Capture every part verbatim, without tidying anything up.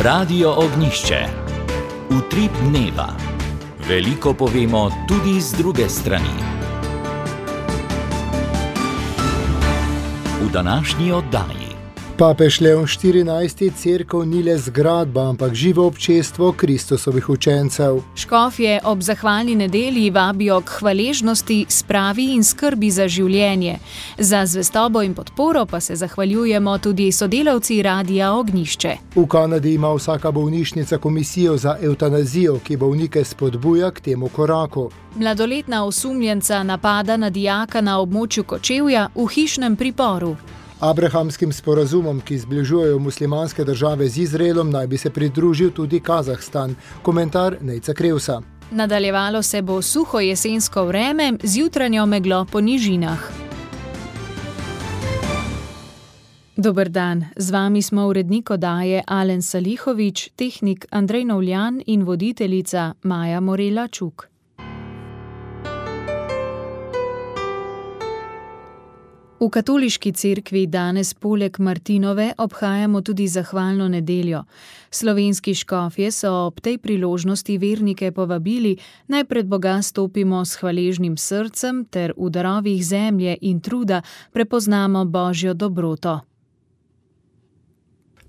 Radio Ognjišče. Utrip dneva. Veliko povemo tudi z druge strani. V današnji oddaji. Papež Leon štirinajsti cerkev ni le zgradba, ampak živo občestvo Kristusovih učencev. Škofje ob zahvalni nedelji vabijo k hvaležnosti, spravi in skrbi za življenje. Za zvestobo in podporo pa se zahvaljujemo tudi sodelavci Radia Ognjišče. V Kanadi ima vsaka bolnišnica komisijo za evtanazijo, ki bolnike spodbuja k temu koraku. Mladoletna osumljenca napada na dijaka na območju Kočevja v hišnem priporu. Abrahamskim sporazumom, ki zbližujejo muslimanske države z Izraelom, naj bi se pridružil tudi Kazahstan. Komentar Nejca Krevsa. Nadaljevalo se bo suho jesensko vreme z jutranjo meglo po nižinah. Dober dan, z vami smo urednik oddaje Alen Salihovič, tehnik Andrej Novljan in voditeljica Maja Morela Čuk. V katoliški cerkvi danes poleg Martinove obhajamo tudi zahvalno nedeljo. Slovenski škofje so ob tej priložnosti vernike povabili, naj pred Boga stopimo s hvaležnim srcem ter v darovih zemlje in truda prepoznamo Božjo dobroto.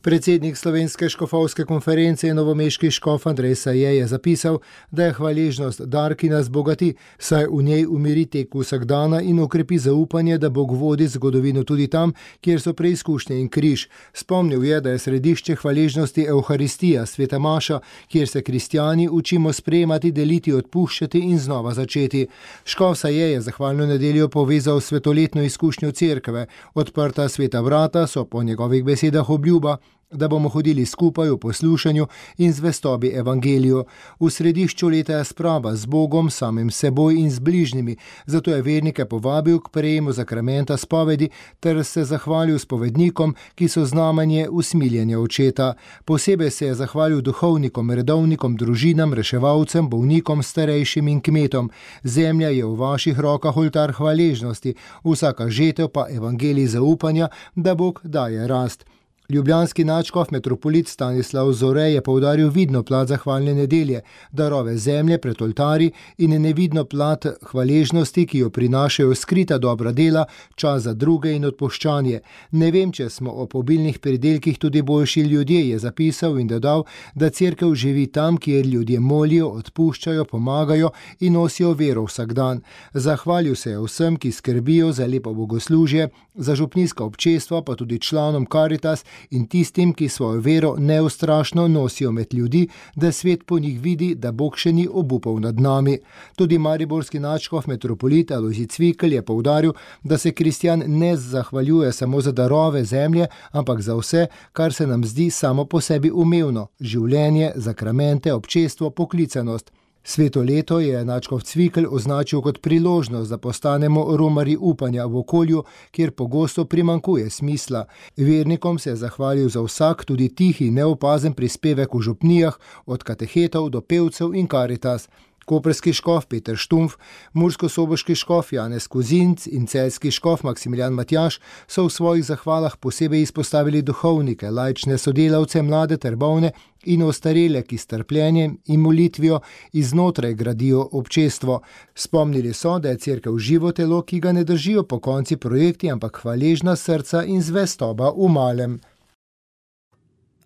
Predsednik Slovenske škofovske konference in novomeški škof Andrej Saje je zapisal, da je hvaležnost dar, ki nas bogati, saj v njej umiri tek vsakdana in okrepi zaupanje, da Bog vodi zgodovino tudi tam, kjer so preizkušnje in križ. Spomnil je, da je središče hvaležnosti Evharistija, sveta maša, kjer se kristjani učimo sprejemati, deliti, odpuščati in znova začeti. Škof Saje je zahvalno nedeljo povezal svetoletno izkušnjo cerkve. Odprta sveta vrata so po njegovih besedah obljuba, da bomo hodili skupaj v poslušanju in zvestobi evangeliju. V središču leta je sprava z Bogom, samim seboj in z bližnjimi, zato je vernike povabil k prejemu zakramenta spovedi ter se zahvalil spovednikom, ki so znamenje usmiljenja očeta. Posebej se je zahvalil duhovnikom, redovnikom, družinam, reševalcem, bolnikom, starejšim in kmetom. Zemlja je v vaših rokah oltar hvaležnosti, vsaka žetev pa evangelij zaupanja, da Bog daje rast. Ljubljanski nadškof metropolit Stanislav Zore je poudaril vidno plat zahvalne nedelje, darove zemlje pred oltari in nevidno plat hvaležnosti, ki jo prinašajo skrita dobra dela, čas za druge in odpuščanje. Ne vem, če smo ob obilnih pridelkih tudi boljši ljudje, je zapisal in dodal, da cerkev živi tam, kjer ljudje molijo, odpuščajo, pomagajo in nosijo vero vsak dan. Zahvalil se je vsem, ki skrbijo za lepo bogoslužje, za župnijska občestva, pa tudi članom Karitas in tistim, ki svojo vero neustrašno nosijo med ljudi, da svet po njih vidi, da Bog še ni obupal nad nami. Tudi mariborski nadškof metropolit Alojzij Cvikl je poudaril, da se kristjan ne zahvaljuje samo za darove zemlje, ampak za vse, kar se nam zdi samo po sebi umevno: življenje, zakramente, občestvo, poklicanost. Sveto leto je nadškof Cvikl označil kot priložnost, da postanemo romarji upanja v okolju, kjer pogosto primanjkuje smisla. Vernikom se je zahvalil za vsak, tudi tihi, neopazen prispevek v župnijah, od katehetov do pevcev in Karitas. Koprski škof Peter Štumf, murskosoboški škof Janez Kozinc in celjski škof Maksimilijan Matjaž so v svojih zahvalah posebej izpostavili duhovnike, laične sodelavce, mlade ter bolne in ostarele, ki s trpljenjem in molitvijo iznotraj gradijo občestvo. Spomnili so, da je cerkev živo telo, ki ga ne držijo po konci projekti, ampak hvaležna srca in zvestoba v malem.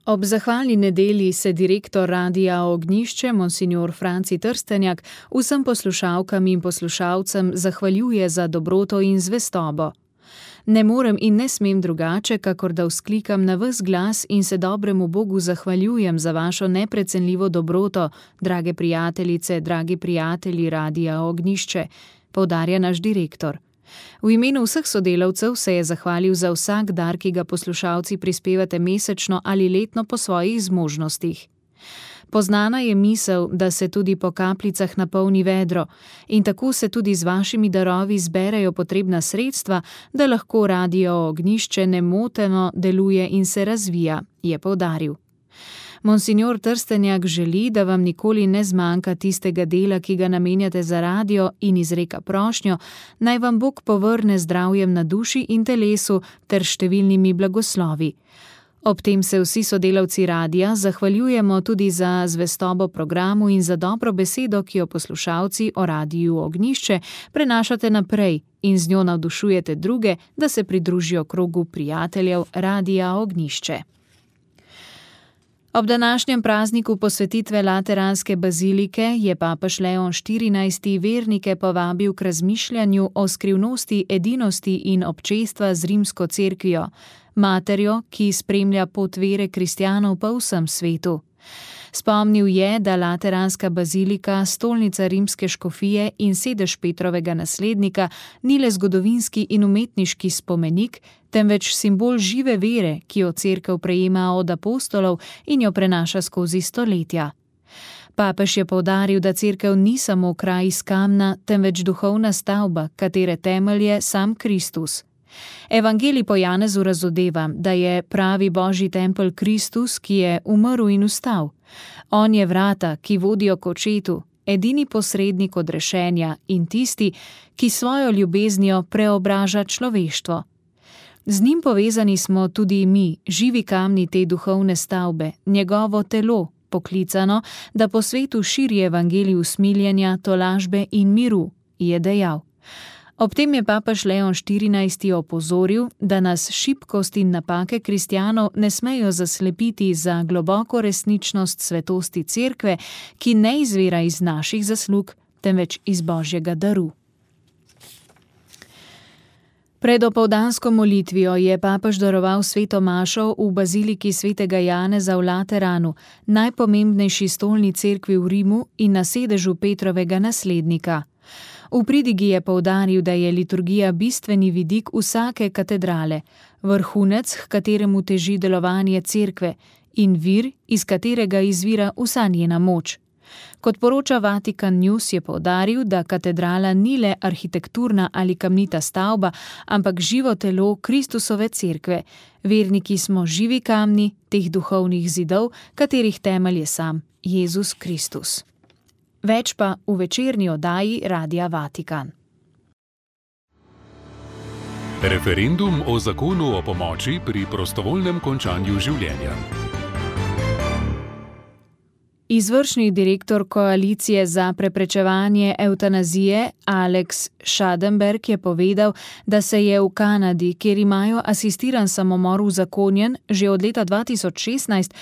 Ob zahvalni nedelji se direktor Radia Ognjišče, monsignor Franci Trstenjak, vsem poslušalkam in poslušalcem zahvaljuje za dobroto in zvestobo. Ne morem in ne smem drugače, kakor da vzklikam na ves glas in se dobremu Bogu zahvaljujem za vašo neprecenljivo dobroto, drage prijateljice, dragi prijatelji Radia Ognjišče, poudarja naš direktor. V imenu vseh sodelavcev se je zahvalil za vsak dar, ki ga poslušalci prispevate mesečno ali letno po svojih zmožnostih. Poznana je misel, da se tudi po kapljicah napolni vedro, in tako se tudi z vašimi darovi zberejo potrebna sredstva, da lahko Radio Ognjišče nemoteno deluje in se razvija, je poudaril. Monsignor Trstenjak želi, da vam nikoli ne zmanjka tistega dela, ki ga namenjate za radio, in izreka prošnjo, naj vam Bog povrne zdravjem na duši in telesu ter številnimi blagoslovi. Ob tem se vsi sodelavci radia zahvaljujemo tudi za zvestobo programu in za dobro besedo, ki jo poslušalci o Radiu Ognjišče prenašate naprej in z njo navdušujete druge, da se pridružijo krogu prijateljev Radia Ognjišče. Ob današnjem prazniku posvetitve Lateranske bazilike je papež Leon štirinajsti vernike povabil k razmišljanju o skrivnosti edinosti in občestva z rimsko cerkvijo, materjo, ki spremlja pot vere kristjanov po vsem svetu. Spomnil je, da Lateranska bazilika, stolnica rimske škofije in sedež Petrovega naslednika, ni le zgodovinski in umetniški spomenik, temveč simbol žive vere, ki jo cerkev prejema od apostolov in jo prenaša skozi stoletja. Papež je poudaril, da cerkev ni samo kraj iz kamna, temveč duhovna stavba, katere temelj je sam Kristus. Evangelij po Janezu razodeva, da je pravi božji tempelj Kristus, ki je umrl in vstal. On je vrata, ki vodijo k očetu, edini posrednik odrešenja in tisti, ki svojo ljubeznijo preobraža človeštvo. Z njim povezani smo tudi mi, živi kamni te duhovne stavbe, njegovo telo, poklicano, da po svetu širi evangelij usmiljenja, tolažbe in miru, je dejal. Ob tem je papež Leon štirinajsti opozoril, da nas šibkost in napake kristjanov ne smejo zaslepiti za globoko resničnost svetosti cerkve, ki ne izvira iz naših zaslug, temveč iz božjega daru. Pred opoldansko molitvijo je papež daroval sveto mašo v baziliki svetega Janeza v Lateranu, najpomembnejši stolni cerkvi v Rimu in na sedežu Petrovega naslednika. V pridigi je poudaril, da je liturgija bistveni vidik vsake katedrale, vrhunec, h kateremu teži delovanje cerkve in vir, iz katerega izvira vsa njena moč. Kot poroča Vatikan News, je poudaril, da katedrala ni le arhitekturna ali kamnita stavba, ampak živo telo Kristusove cerkve. Verniki smo živi kamni teh duhovnih zidov, katerih temelj je sam Jezus Kristus. Več pa v večerni oddaji Radia Vatikan. Referendum o zakonu o pomoči pri prostovoljnem končanju življenja. Izvršni direktor koalicije za preprečevanje evtanazije Alex Schadenberg je povedal, da se je v Kanadi, kjer imajo asistiran samomor uzakonjen že od leta dva tisoč šestnajst,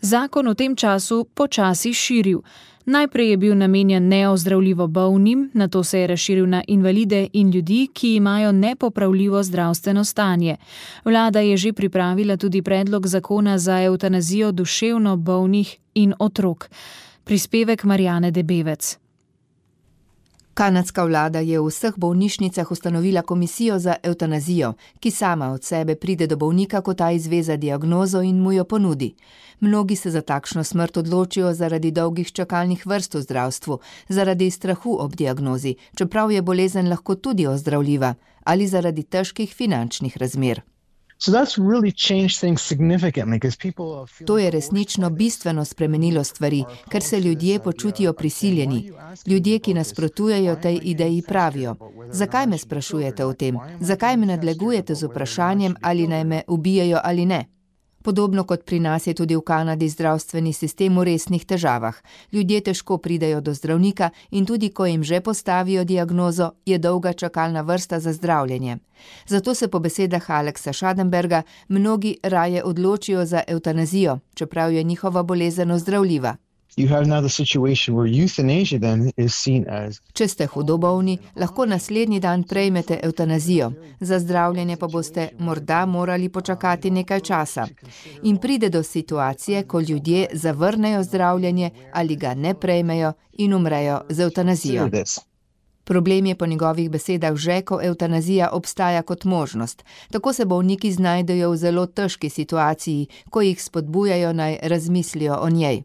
zakon v tem času počasi širil. Najprej je bil namenjen neozdravljivo bolnim, nato se je razširil na invalide in ljudi, ki imajo nepopravljivo zdravstveno stanje. Vlada je že pripravila tudi predlog zakona za evtanazijo duševno bolnih in otrok. Prispevek Marjane Debevec. Kanadska vlada je v vseh bolnišnicah ustanovila komisijo za evtanazijo, ki sama od sebe pride do bolnika, ko ta izve za diagnozo in mu jo ponudi. Mnogi se za takšno smrt odločijo zaradi dolgih čakalnih vrst v zdravstvu, zaradi strahu ob diagnozi, čeprav je bolezen lahko tudi ozdravljiva, ali zaradi težkih finančnih razmer. To je resnično bistveno spremenilo stvari, ker se ljudje počutijo prisiljeni. Ljudje, ki nasprotujejo tej ideji, pravijo: zakaj me sprašujete o tem? Zakaj me nadlegujete z vprašanjem, ali naj me ubijajo ali ne? Podobno kot pri nas je tudi v Kanadi zdravstveni sistem v resnih težavah. Ljudje težko pridejo do zdravnika in tudi ko jim že postavijo diagnozo, je dolga čakalna vrsta za zdravljenje. Zato se po besedah Alexa Schadenberga mnogi raje odločijo za evtanazijo, čeprav je njihova bolezen ozdravljiva. Če ste hudo bolni, lahko naslednji dan prejmete evtanazijo, za zdravljenje pa boste morda morali počakati nekaj časa. In pride do situacije, ko ljudje zavrnejo zdravljenje ali ga ne prejmejo in umrejo z evtanazijo. Problem je po njegovih besedah že, ko evtanazija obstaja kot možnost. Tako se bolniki znajdejo v zelo težki situaciji, ko jih spodbujajo naj razmislijo o njej.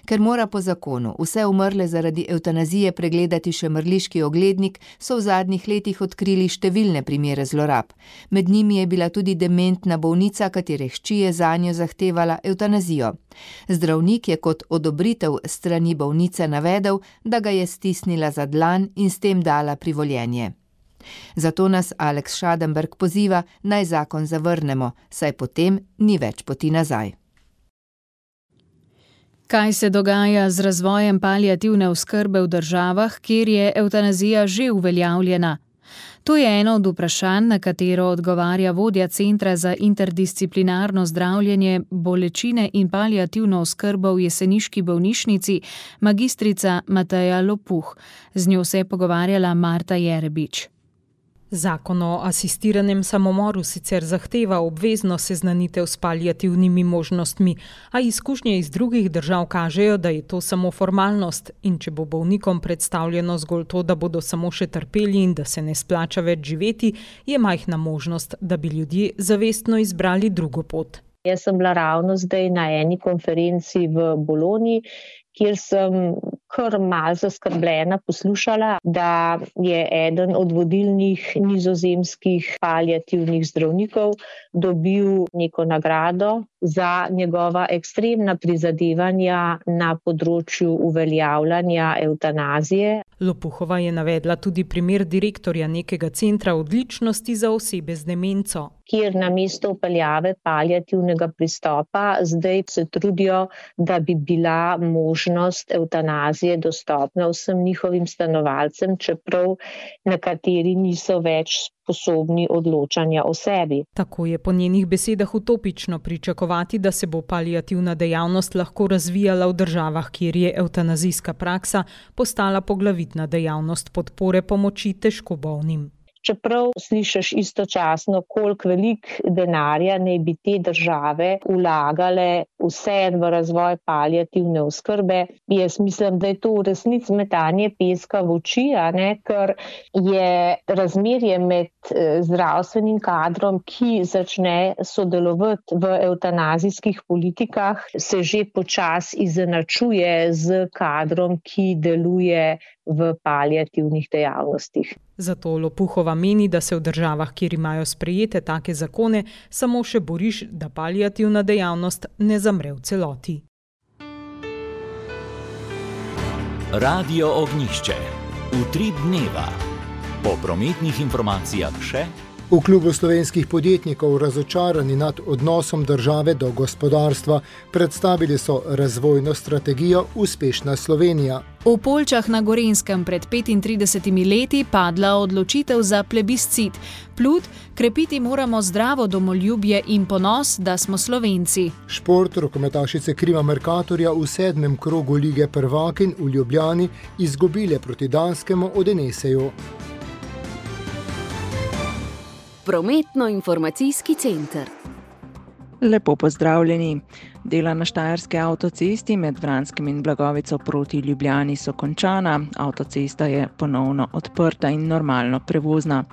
Ker mora po zakonu vse umrle zaradi evtanazije pregledati še mrliški oglednik, so v zadnjih letih odkrili številne primere zlorab. Med njimi je bila tudi dementna bolnica, katere hči je zanjo zahtevala evtanazijo. Zdravnik je kot odobritev strani bolnice navedel, da ga je stisnila za dlan in s tem dala privoljenje. Zato nas Alex Schadenberg poziva, naj zakon zavrnemo, saj potem ni več poti nazaj. Kaj se dogaja z razvojem paliativne oskrbe v državah, kjer je evtanazija že uveljavljena? To je eno od vprašanj, na katero odgovarja vodja Centra za interdisciplinarno zdravljenje, bolečine in paliativno oskrbo v jeseniški bolnišnici, magistrica Mateja Lopuh. Z njo se je pogovarjala Marta Jerebič. Zakon o asistiranem samomoru sicer zahteva obvezno seznanitev s paliativnimi možnostmi, a izkušnje iz drugih držav kažejo, da je to samo formalnost in če bo bolnikom predstavljeno zgolj to, da bodo samo še trpeli in da se ne splača več živeti, je majhna možnost, da bi ljudje zavestno izbrali drugo pot. Jaz sem bila ravno zdaj na eni konferenci v Bologni, kjer sem kar malo zaskrbljena poslušala, da je eden od vodilnih nizozemskih paliativnih zdravnikov dobil neko nagrado za njegova ekstremna prizadevanja na področju uveljavljanja evtanazije. Lopuhova je navedla tudi primer direktorja nekega centra odličnosti za osebe z demenco, kjer namesto vpeljave paliativnega pristopa zdaj se trudijo, da bi bila možnost evtanazije dostopna vsem njihovim stanovalcem, čeprav nekateri niso več sposobni odločanja o sebi. Tako je po njenih besedah utopično pričakovati, da se bo paliativna dejavnost lahko razvijala v državah, kjer je evtanazijska praksa postala poglavitna dejavnost podpore pomoči težko bolnim. Čeprav slišiš istočasno, koliko velik denarja naj bi te države vlagale vse v razvoj paliativne oskrbe, jaz mislim, da je to v resnici metanje peska v oči, a ne, ker je razmerje med zdravstvenim kadrom, ki začne sodelovati v evtanazijskih politikah, se že počasi izenačuje z kadrom, ki deluje v paliativnih dejavnostih. Zato Lopuhova meni, da se v državah, kjer imajo sprejete take zakone, samo še boriš, da paliativna dejavnost ne zamre v celoti. Radio Ognjišče. Utrip dneva. Po prometnih informacijah še... V klubu slovenskih podjetnikov, razočarani nad odnosom države do gospodarstva, predstavili so razvojno strategijo Uspešna Slovenija. V Poljčah na Gorenjskem pred petintridesetimi leti padla odločitev za plebiscit. Plut, krepiti moramo zdravo domoljubje in ponos, da smo Slovenci. Šport, rokometašice Krima Mercatorja v sedmem krogu Lige prvakinj v Ljubljani izgubile proti Danskemu od Eneseju. Prometno-informacijski center. Lepo pozdravljeni. Dela na štajerski avtocesti med Vranskim in Blagovico proti Ljubljani so končana. Avtocesta je ponovno odprta in normalno prevozna.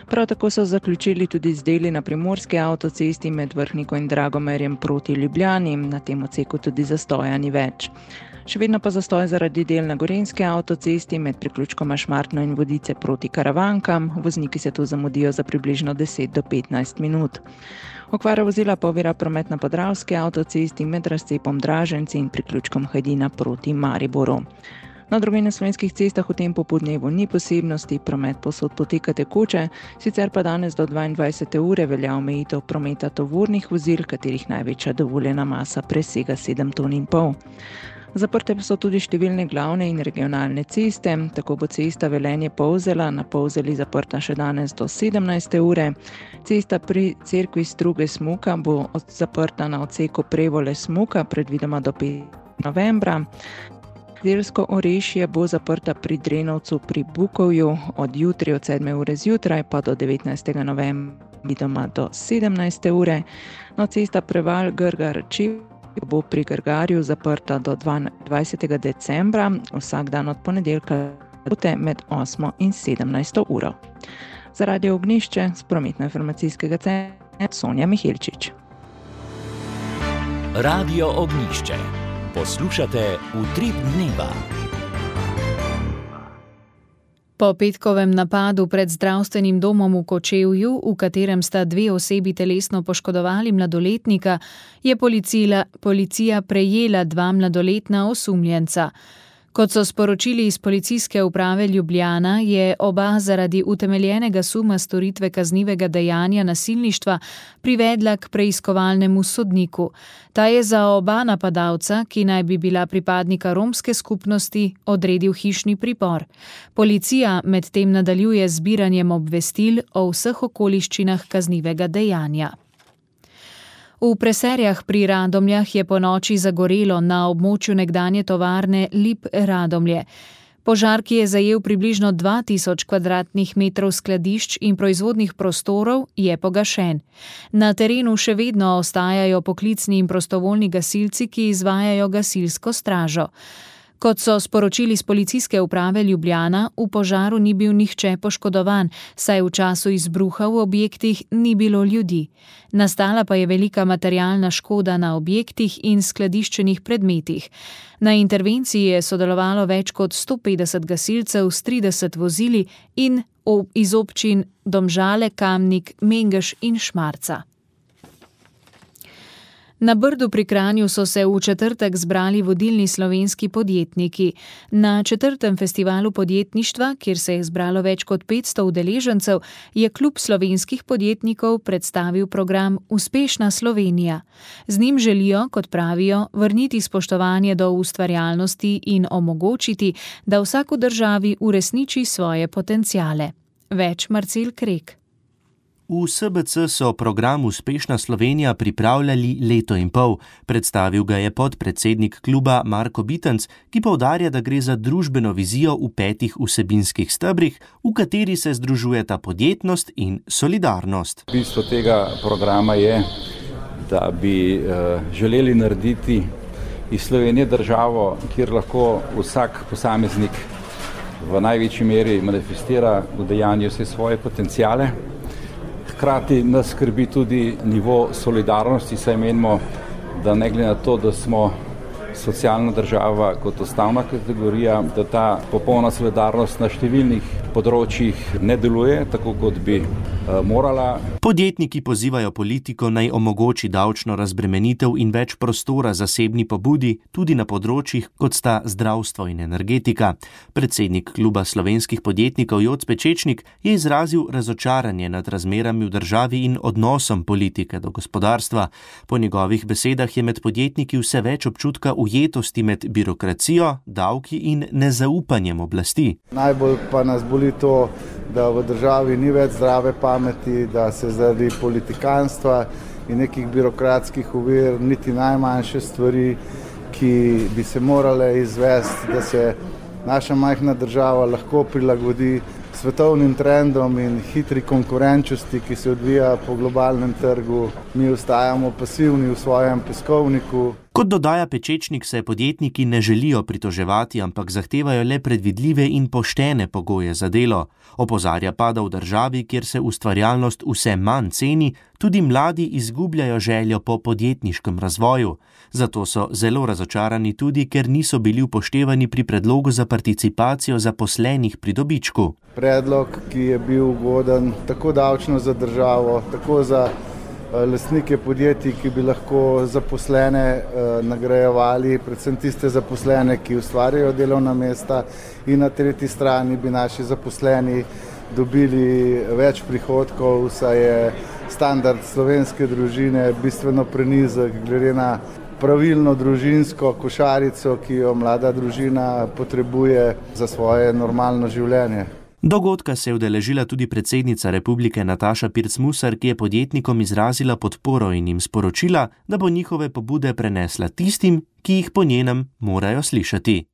Prav tako so zaključili tudi z deli na primorski avtocesti med Vrhniko in Dragomerjem proti Ljubljani. Na tem odseku tudi zastoja ni več. Še vedno pa zastoj zaradi del na Gorenjski avtocesti med priključkoma Šmartno in Vodice proti Karavankam. Vozniki se tu zamudijo za približno deset do petnajst minut. Okvara vozila pa ovira promet na Podravski avtocesti med razcepom Draženci in priključkom Hajdina proti Mariboru. Na drugih slovenskih cestah v tem popoldnevu ni posebnosti, promet povsod poteka tekoče, sicer pa danes do dvaindvajsete ure velja omejitev prometa tovornih vozil, katerih največja dovoljena masa presega sedem ton in pol. Zaprte pa so tudi številne glavne in regionalne ceste, tako bo cesta Velenje-Polzela na Polzeli zaprta še danes do sedemnajste ure. Cesta pri cerkvi Struge-Smuka bo zaprta na odseku Prevole-Smuka predvidoma do petega novembra. Delsko Orešje bo zaprta pri Drenovcu pri Bukovju od jutri od sedme ure zjutraj pa do devetnajstega novembra vidoma do sedemnajste ure. No, cesta Preval-Grgar-Čev bo pri Grgarju zaprta do dvaindvajsetega decembra, vsak dan od ponedeljka med osmo in sedemnajsto uro. Za Radio Ognjišče s prometno-informacijskega centra Sonja Mihelčič. Radio Ognjišče. Poslušate Utrip dneva. Po petkovem napadu pred zdravstvenim domom v Kočevju, v katerem sta dve osebi telesno poškodovali mladoletnika, je policija, policija prejela dva mladoletna osumljenca. Kot so sporočili iz policijske uprave Ljubljana, je oba zaradi utemeljenega suma storitve kaznivega dejanja nasilništva privedla k preiskovalnemu sodniku. Ta je za oba napadalca, ki naj bi bila pripadnika romske skupnosti, odredil hišni pripor. Policija medtem nadaljuje z zbiranjem obvestil o vseh okoliščinah kaznivega dejanja. V Preserjah pri Radomljah je ponoči zagorelo na območju nekdanje tovarne Lip Radomlje. Požar, ki je zajel približno dva tisoč kvadratnih metrov skladišč in proizvodnih prostorov, je pogašen. Na terenu še vedno ostajajo poklicni in prostovoljni gasilci, ki izvajajo gasilsko stražo. Kot so sporočili z policijske uprave Ljubljana, v požaru ni bil nihče poškodovan, saj v času izbruha v objektih ni bilo ljudi. Nastala pa je velika materialna škoda na objektih in skladiščenih predmetih. Na intervenciji je sodelovalo več kot sto petdeset gasilcev s trideset vozili in iz občin Domžale, Kamnik, Mengeš in Šmarca. Na Brdu pri Kranju so se v četrtek zbrali vodilni slovenski podjetniki. Na četrtem festivalu podjetništva, kjer se je zbralo več kot petsto udeležencev, je klub slovenskih podjetnikov predstavil program Uspešna Slovenija. Z njim želijo, kot pravijo, vrniti spoštovanje do ustvarjalnosti in omogočiti, da vsak v državi uresniči svoje potenciale. Več Marcel Krek. V S B C so program Uspešna Slovenija pripravljali leto in pol. Predstavil ga je podpredsednik kluba Marko Bitenc, ki poudarja, da gre za družbeno vizijo v petih vsebinskih stebrih, v kateri se združujeta podjetnost in solidarnost. Bistvo tega programa je, da bi uh, želeli narediti iz Slovenije državo, kjer lahko vsak posameznik v največji meri manifestira v dejanju vse svoje potenciale. Hkrati nas skrbi tudi nivo solidarnosti, saj menimo, da ne glede na to, da smo socialna država kot osnovna kategorija, da ta popolna solidarnost na številnih področjih ne deluje tako, kot bi uh, morala. Podjetniki pozivajo politiko naj omogoči davčno razbremenitev in več prostora zasebni pobudi tudi na področjih, kot sta zdravstvo in energetika. Predsednik kluba slovenskih podjetnikov Joc Pečečnik je izrazil razočaranje nad razmerami v državi in odnosom politike do gospodarstva. Po njegovih besedah je med podjetniki vse več občutka ujetosti med birokracijo, davki in nezaupanjem oblasti. Najbolj pa nas boli to, da v državi ni več zdrave pameti, da se zaradi politikanstva in nekih birokratskih ovir niti najmanjše stvari, ki bi se morale izvesti, da se naša majhna država lahko prilagodi svetovnim trendom in hitri konkurenčnosti, ki se odvija po globalnem trgu. Mi ostajamo pasivni v svojem peskovniku. Kot dodaja Pečečnik, se podjetniki ne želijo pritoževati, ampak zahtevajo le predvidljive in poštene pogoje za delo. Opozarja pa, da v državi, kjer se ustvarjalnost vse manj ceni, tudi mladi izgubljajo željo po podjetniškem razvoju. Zato so zelo razočarani tudi, ker niso bili upoštevani pri predlogu za participacijo zaposlenih pri dobičku. Predlog, ki je bil ugoden tako davčno za državo, tako za lastnike podjetij, ki bi lahko zaposlene eh, nagrajevali, predvsem tiste zaposlene, ki ustvarjajo delovna mesta, in na tretji strani bi naši zaposleni dobili več prihodkov, saj je standard slovenske družine bistveno prenizek glede na pravilno družinsko košarico, ki jo mlada družina potrebuje za svoje normalno življenje. Dogodka se je udeležila tudi predsednica republike Nataša Pirc Musar, ki je podjetnikom izrazila podporo in jim sporočila, da bo njihove pobude prenesla tistim, ki jih po njenem morajo slišati.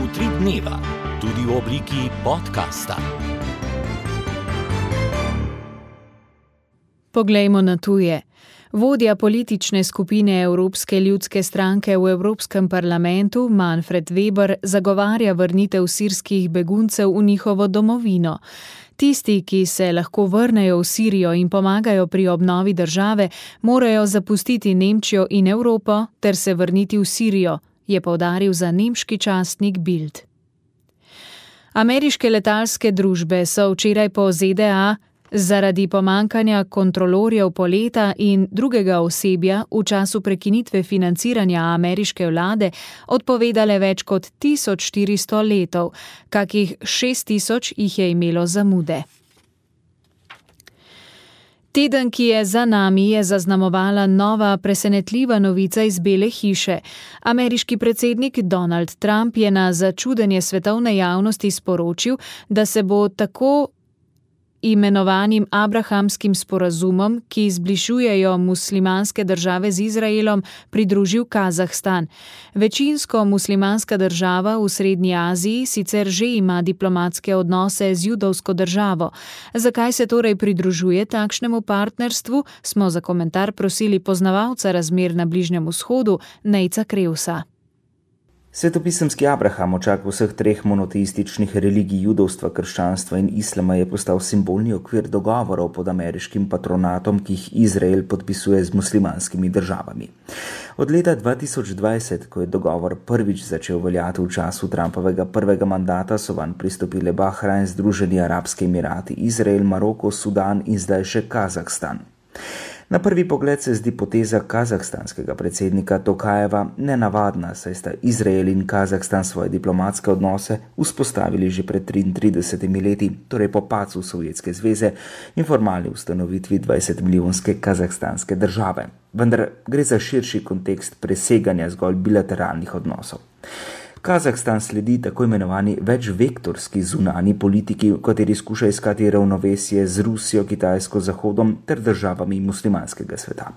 Utrip dneva, tudi v obliki podcasta. Poglejmo na tuje. Vodja politične skupine Evropske ljudske stranke v Evropskem parlamentu Manfred Weber zagovarja vrnitev sirskih beguncev v njihovo domovino. Tisti, ki se lahko vrnejo v Sirijo in pomagajo pri obnovi države, morajo zapustiti Nemčijo in Evropo ter se vrniti v Sirijo, je poudaril za nemški časnik Bild. Ameriške letalske družbe so včeraj po Z D A Zaradi pomankanja kontrolorjev poleta in drugega osebja v času prekinitve financiranja ameriške vlade odpovedale več kot tisoč štiristo letov, kakih šest tisoč jih je imelo zamude. Teden, ki je za nami, je zaznamovala nova presenetljiva novica iz Bele hiše. Ameriški predsednik Donald Trump je na začudenje svetovne javnosti sporočil, da se bo tako imenovanim abrahamskim sporazumom, ki zbližujejo muslimanske države z Izraelom, pridružil Kazahstan. Večinsko muslimanska država v Srednji Aziji sicer že ima diplomatske odnose z judovsko državo. Zakaj se torej pridružuje takšnemu partnerstvu, smo za komentar prosili poznavalca razmer na Bližnjem vzhodu, Nejca Krevsa. Svetopisemski Abraham, očak vseh treh monoteističnih religij judovstva, krščanstva in islama, je postal simbolni okvir dogovorov pod ameriškim patronatom, ki jih Izrael podpisuje z muslimanskimi državami. Od leta dva tisoč dvajset, ko je dogovor prvič začel veljati v času Trumpovega prvega mandata, so vanj pristopile Bahrajn, Združeni arabski emirati, Izrael, Maroko, Sudan in zdaj še Kazahstan. Na prvi pogled se zdi poteza kazahstanskega predsednika Tokajeva nenavadna, saj sta Izrael in Kazahstan svoje diplomatske odnose vzpostavili že pred triintridesetimi leti, torej po padcu Sovjetske zveze in formalni ustanovitvi dvajsetmilijonske kazahstanske države. Vendar gre za širši kontekst preseganja zgolj bilateralnih odnosov. Kazahstan sledi tako imenovani večvektorski zunanji politiki, v kateri skuša iskati ravnovesje z Rusijo, Kitajsko, Zahodom ter državami muslimanskega sveta.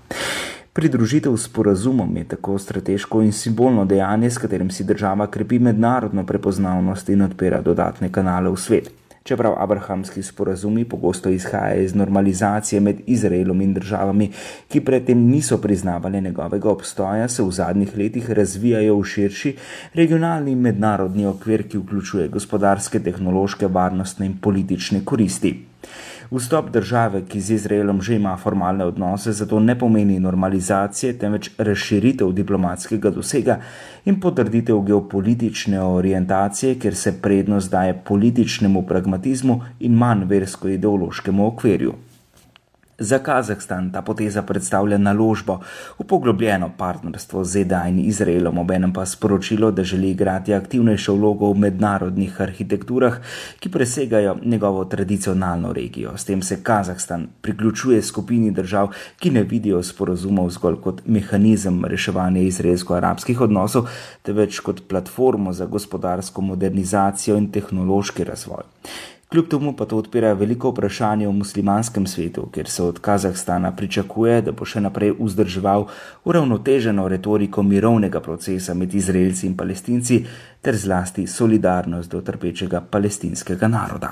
Pridružitev sporazumom je tako strateško in simbolno dejanje, s katerim si država krepi mednarodno prepoznavnost in odpira dodatne kanale v svet. Čeprav abrahamski sporazumi pogosto izhajajo iz normalizacije med Izraelom in državami, ki predtem niso priznavali njegovega obstoja, se v zadnjih letih razvijajo v širši regionalni mednarodni okvir, ki vključuje gospodarske, tehnološke, varnostne in politične koristi. Vstop države, ki z Izraelom že ima formalne odnose, zato ne pomeni normalizacije, temveč razširitev diplomatskega dosega in potrditev geopolitične orientacije, kjer se prednost daje političnemu pragmatizmu in manj versko-ideološkemu okvirju. Za Kazahstan ta poteza predstavlja naložbo v poglobljeno partnerstvo z Z D A in Izraelom, obenem pa sporočilo, da želi igrati aktivnejšo vlogo v mednarodnih arhitekturah, ki presegajo njegovo tradicionalno regijo. S tem se Kazahstan priključuje skupini držav, ki ne vidijo sporazumov zgolj kot mehanizem reševanja izraelsko-arabskih odnosov, temveč kot platformo za gospodarsko modernizacijo in tehnološki razvoj. Kljub temu pa to odpira veliko vprašanje o muslimanskem svetu, kjer se od Kazahstana pričakuje, da bo še naprej vzdrževal uravnoteženo retoriko mirovnega procesa med Izraelci in Palestinci ter zlasti solidarnost do trpečega palestinskega naroda.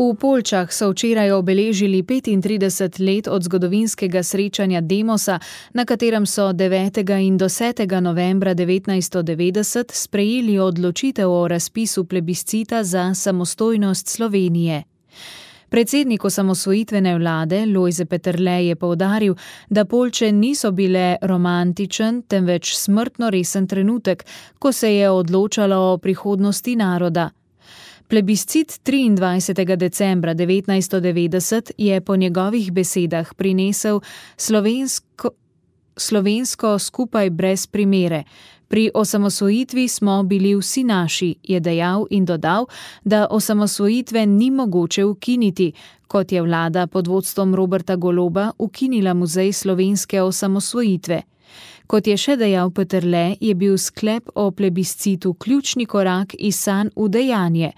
V Poljčah so včeraj obeležili petintrideset let od zgodovinskega srečanja Demosa, na katerem so devetega in desetega novembra devetnajststo devetdeset sprejeli odločitev o razpisu plebiscita za samostojnost Slovenije. Predsednik osamosvojitvene vlade Lojze Peterle je poudaril, da Poljče niso bile romantičen, temveč smrtno resen trenutek, ko se je odločalo o prihodnosti naroda. Plebiscit triindvajsetega decembra devetnajststo devetdeset je po njegovih besedah prinesel slovensko, slovensko skupaj brez primere. Pri osamosvojitvi smo bili vsi naši, je dejal in dodal, da osamosvojitve ni mogoče ukiniti, kot je vlada pod vodstvom Roberta Goloba ukinila Muzej slovenske osamosvojitve. Kot je še dejal Peterle, je bil sklep o plebiscitu ključni korak iz sanj v dejanje.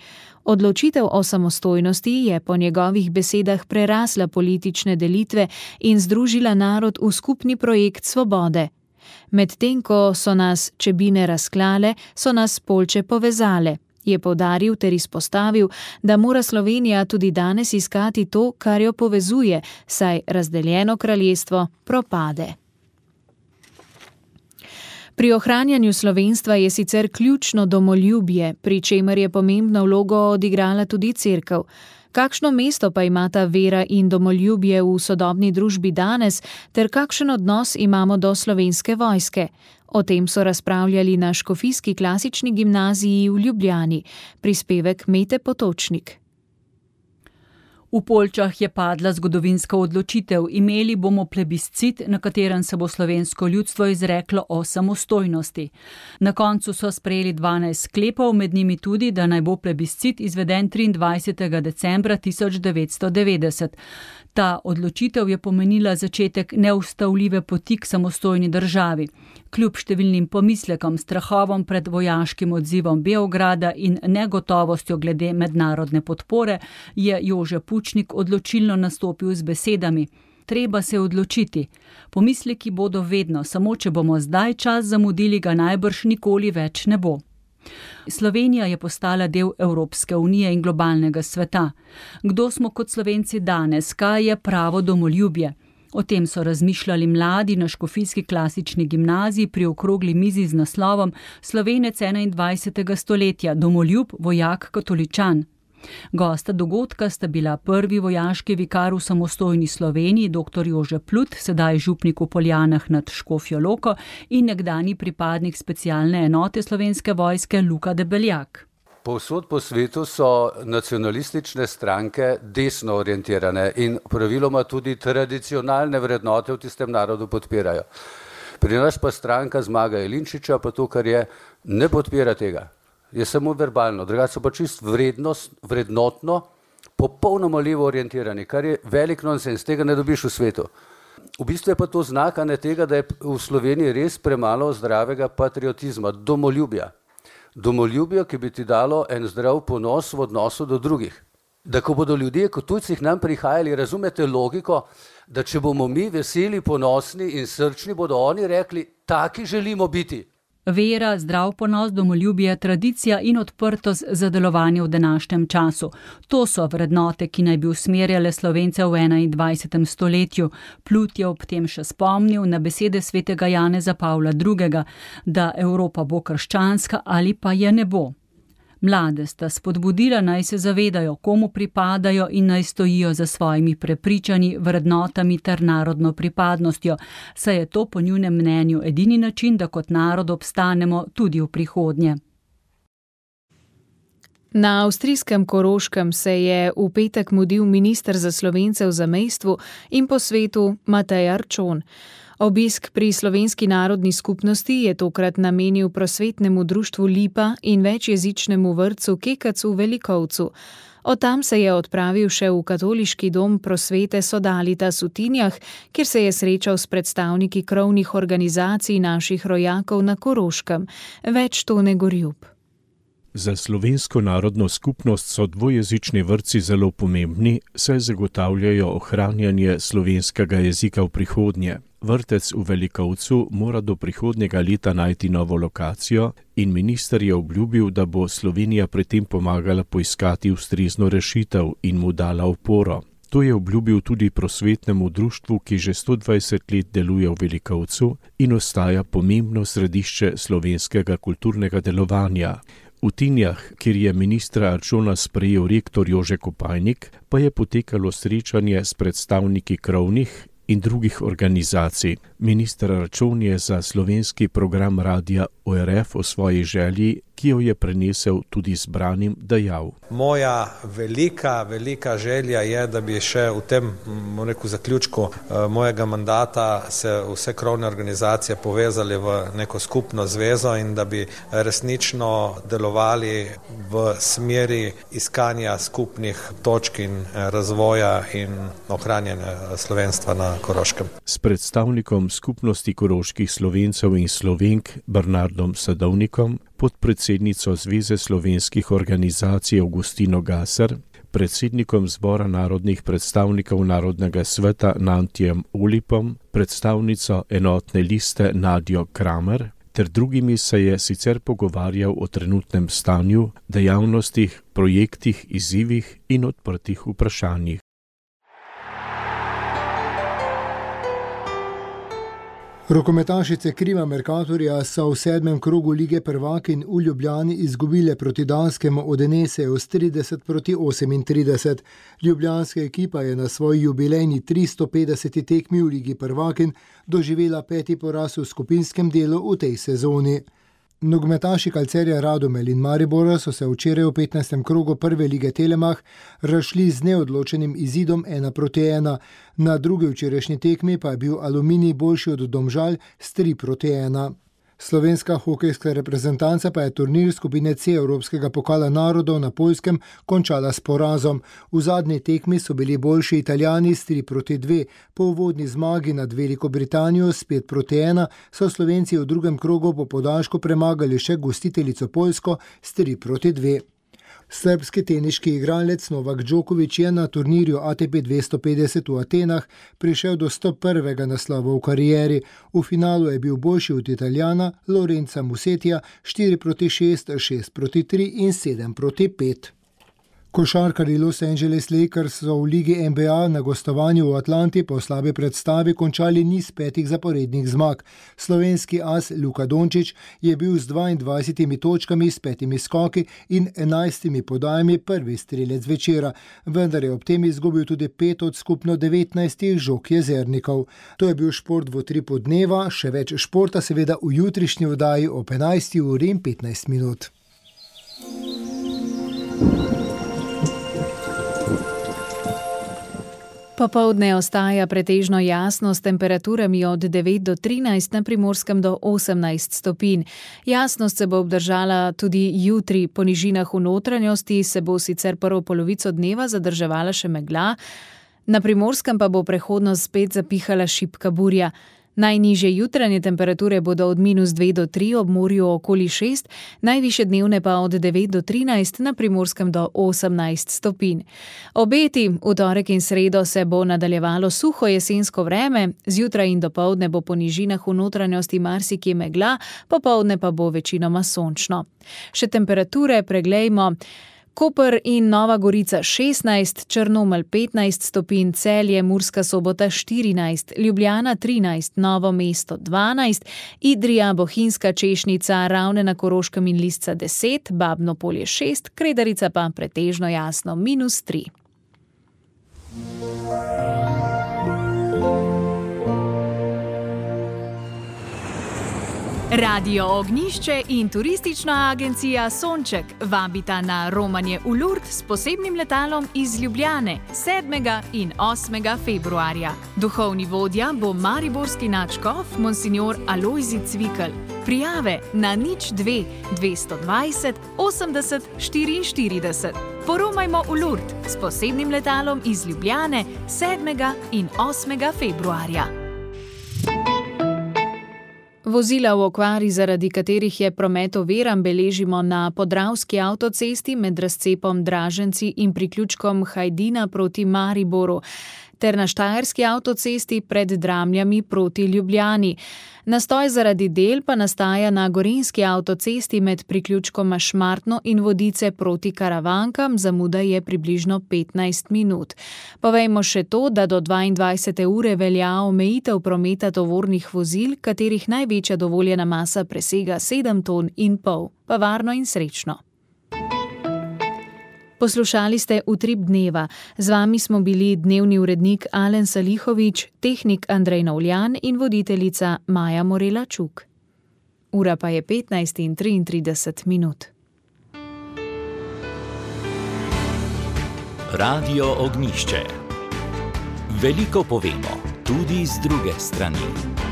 Odločitev o samostojnosti je po njegovih besedah prerasla politične delitve in združila narod v skupni projekt svobode. Medtem ko so nas čebine razklale, so nas Poljče povezale, je poudaril ter izpostavil, da mora Slovenija tudi danes iskati to, kar jo povezuje, saj razdeljeno kraljestvo propade. Pri ohranjanju slovenstva je sicer ključno domoljubje, pri čemer je pomembno vlogo odigrala tudi cerkev. Kakšno mesto pa imata vera in domoljubje v sodobni družbi danes, ter kakšen odnos imamo do Slovenske vojske? O tem so razpravljali na Škofijski klasični gimnaziji v Ljubljani. Prispevek Mete Potočnik. V Poljčah je padla zgodovinska odločitev. Imeli bomo plebiscit, na katerem se bo slovensko ljudstvo izreklo o samostojnosti. Na koncu so sprejeli dvanajst sklepov, med njimi tudi, da naj bo plebiscit izveden triindvajsetega decembra tisoč devetsto devetdeset. Ta odločitev je pomenila začetek neustavljive poti k samostojni državi. Kljub številnim pomislekom, strahovom pred vojaškim odzivom Beograda in negotovostjo glede mednarodne podpore, je Jože Pučnik odločilno nastopil z besedami: treba se odločiti. Pomisleki bodo vedno, samo če bomo zdaj čas zamudili, ga najbrž nikoli več ne bo. Slovenija je postala del Evropske unije in globalnega sveta. Kdo smo kot Slovenci danes? Kaj je pravo domoljubje? O tem so razmišljali mladi na Škofijski klasični gimnaziji pri okrogli mizi z naslovom Slovenec enaindvajsetega stoletja, domoljub, vojak, katoličan. Gosta dogodka sta bila prvi vojaški vikar v samostojni Sloveniji, dr. Jože Plut, sedaj župnik v Poljanah nad Škofjo Loko, in nekdanji pripadnik specialne enote Slovenske vojske Luka Debeljak. Povsod po svetu so nacionalistične stranke desno orientirane in praviloma tudi tradicionalne vrednote v tistem narodu podpirajo. Pri nas pa stranka Zmaga Jelinčiča pa to, kar je, ne podpira tega. Je samo verbalno, drugače so pa čist vrednost, vrednotno, popolnoma levo orientirani, kar je velik nonsens, tega ne dobiš v svetu. V bistvu je pa to znak ne tega, da je v Sloveniji res premalo zdravega patriotizma, domoljubja. Domoljubja, ki bi ti dalo en zdrav ponos v odnosu do drugih. Da ko bodo ljudje kot tujci k nam prihajali, razumete logiko, da če bomo mi veseli, ponosni in srčni, bodo oni rekli, taki želimo biti. Vera, zdrav ponos, domoljubje, tradicija in odprtost za delovanje v današnjem času. To so vrednote, ki naj bi usmerjale Slovence v enaindvajsetem stoletju. Plut je ob tem še spomnil na besede svetega Janeza Pavla drugega, da Evropa bo krščanska ali pa je ne bo. Mlade sta spodbudila, naj se zavedajo, komu pripadajo in naj stojijo za svojimi prepričanji, vrednotami ter narodno pripadnostjo, saj je to po njunem mnenju edini način, da kot narod obstanemo tudi v prihodnje. Na avstrijskem Koroškem se je v petek mudil minister za Slovence v zamejstvu in po svetu Matej Arčon. Obisk pri Slovenski narodni skupnosti je tokrat namenil prosvetnemu društvu Lipa in večjezičnemu vrtcu Kekac v Velikovcu. Od tam se je odpravil še v katoliški dom prosvete Sodalitas v Tinjah, kjer se je srečal s predstavniki krovnih organizacij naših rojakov na Koroškem. Več Tone Gorjub. Za slovensko narodno skupnost so dvojezični vrtci zelo pomembni, saj zagotavljajo ohranjanje slovenskega jezika v prihodnje. Vrtec v Velikovcu mora do prihodnjega leta najti novo lokacijo in minister je obljubil, da bo Slovenija pri tem pomagala poiskati ustrezno rešitev in mu dala oporo. To je obljubil tudi prosvetnemu društvu, ki že sto dvajset let deluje v Velikovcu in ostaja pomembno središče slovenskega kulturnega delovanja. V Tinjah, kjer je ministra Arčona sprejel rektor Jože Kopajnik, pa je potekalo srečanje s predstavniki krovnih in drugih organizacij. Minister Arčon je za slovenski program radia O R F o svoji želji, ki jo je prenesel tudi zbranim, dejal. Moja velika, velika želja je, da bi še v tem, rekel, zaključku mojega mandata se vse krovne organizacije povezali v neko skupno zvezo in da bi resnično delovali v smeri iskanja skupnih točk in razvoja in ohranjanja slovenstva na Koroškem. S predstavnikom skupnosti koroških Slovencev in Slovenk Bernardom Sadovnikom, podpredsednico Zveze slovenskih organizacij Avgustino Gasar, predsednikom Zbora narodnih predstavnikov Narodnega sveta Nantijem Olipom, predstavnico Enotne liste Nadjo Kramer, ter drugimi se je sicer pogovarjal o trenutnem stanju, dejavnostih, projektih, izzivih in odprtih vprašanjih. Rokometašice Krima Mercatorja so v sedmem krogu lige prvakinj v Ljubljani izgubile proti danskemu Odeneseju s trideset proti osemintrideset. Ljubljanska ekipa je na svoji jubilejni tristo petdeseti tekmi v ligi prvakinj doživela peti poraz v skupinskem delu v tej sezoni. Nogometaši Calcerja Radomel in Maribora so se včeraj v petnajstem krogu prve lige Telemach razšli z neodločenim izidom ena proti ena. Na drugi včerajšnji tekmi pa je bil Aluminij boljši od Domžal s tri proti ena. Slovenska hokejska reprezentanca pa je turnir skupine C Evropskega pokala narodov na Poljskem končala s porazom. V zadnji tekmi so bili boljši Italijani s tri proti dve. Po uvodni zmagi nad Veliko Britanijo s pet proti ena so Slovenci v drugem krogu po podaljšku premagali še gostiteljico Poljsko s tri proti dve. Srbski teniški igralec Novak Djokovic je na turnirju A T P dvesto petdeset v Atenah prišel do sto prvega naslova v karieri. V finalu je bil boljši od Italijana Lorenza Musetija štiri proti šest, šest proti tri in sedem proti pet. Košarkarji Los Angeles Lakers so v ligi N B A na gostovanju v Atlanti po slabi predstavi končali niz petih zaporednih zmag. Slovenski as Luka Dončić je bil z dvaindvajsetimi točkami, s petimi skoki in enajstimi podajami prvi strelec večera, vendar je ob tem izgubil tudi pet od skupno devetnajstih žog Jezernikov. To je bil šport v utripu dneva, še več športa seveda v jutrišnji oddaji ob enajsti uri in petnajst minut. Popoldne ostaja pretežno jasno s temperaturami od devet do trinajst, na Primorskem do osemnajst stopinj. Jasnost se bo obdržala tudi jutri. Po nižinah v notranjosti se bo sicer prvo polovico dneva zadrževala še megla, na Primorskem pa bo prehodno spet zapihala šibka burja. Najnižje jutranje temperature bodo od minus dve do tri, ob morju okoli šest, najvišje dnevne pa od devet do trinajst, na Primorskem do osemnajst stopinj. Obeti v torek in sredo se bo nadaljevalo suho jesensko vreme, zjutraj in dopoldne bo po nižinah v notranjosti marsikje megla, popoldne pa bo večinoma sončno. Še temperature preglejmo. Koper in Nova Gorica šestnajst, Črnomelj petnajst stopinj, Celje, Murska Sobota štirinajst, Ljubljana trinajst, Novo mesto dvanajst, Idrija, Bohinjska, Češnica, Ravne na Koroškem in Lisca deset, Babno Polje šest, Kredarica pa pretežno jasno minus tri. Radio Ognjišče in turistična agencija Sonček vabita na romanje v Lourdes s posebnim letalom iz Ljubljane sedmega in osmega februarja. Duhovni vodja bo mariborski nadškof monsignor Alojzij Cvikl. Prijave na nič dve dvesto dvajset osemdeset štiriinštirideset. Poromajmo v Lourdes s posebnim letalom iz Ljubljane sedmega in osmega februarja. Vozila v okvari, zaradi katerih je promet oviran, beležimo na Podravski avtocesti med razcepom Draženci in priključkom Hajdina proti Mariboru, ter na Štajerski avtocesti pred Dramljami proti Ljubljani. Nastoj zaradi del pa nastaja na Gorenjski avtocesti med priključkoma Šmartno in Vodice proti Karavankam, zamuda je približno petnajst minut. Povejmo še to, da do dvaindvajsete ure velja omejitev prometa tovornih vozil, katerih največja dovoljena masa presega sedem ton in pol. Pa varno in srečno. Poslušali ste Utrip dneva. Z vami smo bili dnevni urednik Alen Salihovič, tehnik Andrej Novljan in voditeljica Maja Morela Čuk. Ura pa je petnajst in triintrideset minut. Radio Ognjišče. Veliko povemo, tudi z druge strani.